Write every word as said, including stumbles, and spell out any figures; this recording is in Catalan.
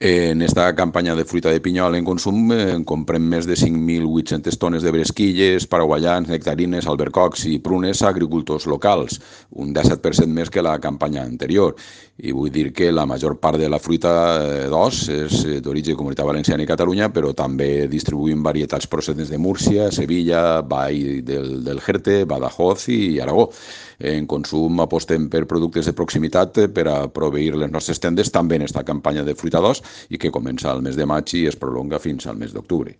En esta campanya de fruita de pinyol en consum eh, comprem més de cinc mil vuit-centes tones de bresquilles, paraguayans, nectarines, albercocs i prunes a agricultors locals, un disset per cent més que la campanya anterior. I vull dir que la major part de la fruita eh, d'os és eh, d'origen Comunitat Valenciana i Catalunya, però també distribuïm varietats procedents de Múrcia, Sevilla, Vall del, del Jerte, Badajoz i Aragó. En consum apostem per productes de proximitat per a proveir les nostres tendes també en esta campanya de fruita d'os i que comença al mes de maig i es prolonga fins al mes d'octubre.